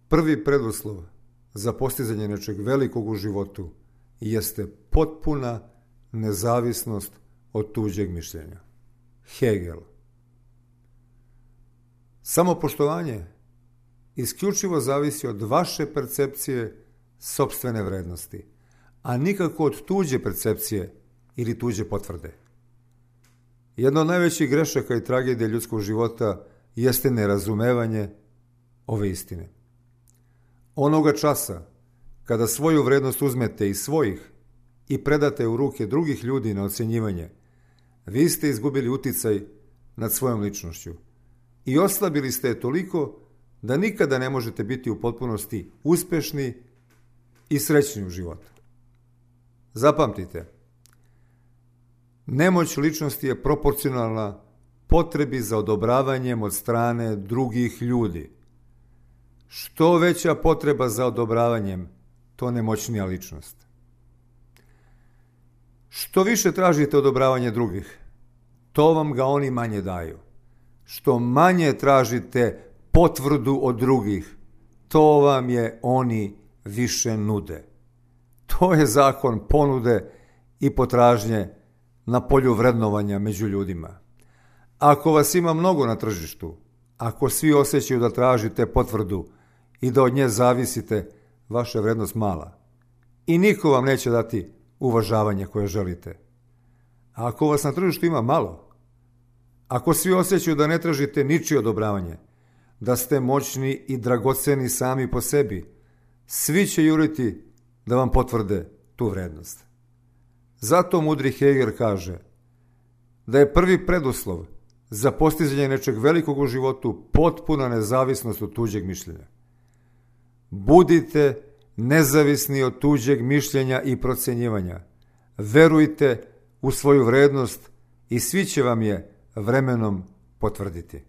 Prvi preduslov za postizanje nečeg velikog u životu jeste potpuna nezavisnost od tuđeg mišljenja. Hegel. Samopoštovanje isključivo zavisi od vaše percepcije sopstvene vrednosti, a nikako od tuđe percepcije ili tuđe potvrde. Jedna od najvećih grešaka i tragedija ljudskog života jeste nerazumevanje ove istine. Onoga časa kada svoju vrednost uzmete iz svojih i predate u ruke drugih ljudi na ocjenjivanje, vi ste izgubili uticaj nad svojom ličnošću i oslabili ste je toliko da nikada ne možete biti u potpunosti uspešni i srećni u životu. Zapamtite, nemoć ličnosti je proporcionalna potrebi za odobravanjem od strane drugih ljudi. Što veća potreba za odobravanjem, to nemoćnija ličnost. Što više tražite odobravanje drugih, to vam ga oni manje daju. Što manje tražite potvrdu od drugih, to vam je oni više nude. To je zakon ponude i potražnje na polju vrednovanja među ljudima. Ako vas ima mnogo na tržištu, ako svi osjećaju da tražite potvrdu i da od nje zavisite, vaša je vrednost mala. I niko vam neće dati uvažavanje koje želite. A ako vas na tržištu ima malo, ako svi osjećaju da ne tražite ničije odobravanje, da ste moćni i dragoceni sami po sebi, svi će juriti da vam potvrde tu vrednost. Zato mudri Hegel kaže da je prvi preduslov za postizanje nečeg velikog u životu potpuna nezavisnost od tuđeg mišljenja. Budite nezavisni od tuđeg mišljenja i procjenjivanja. Verujte u svoju vrednost i svi će vam je vremenom potvrditi.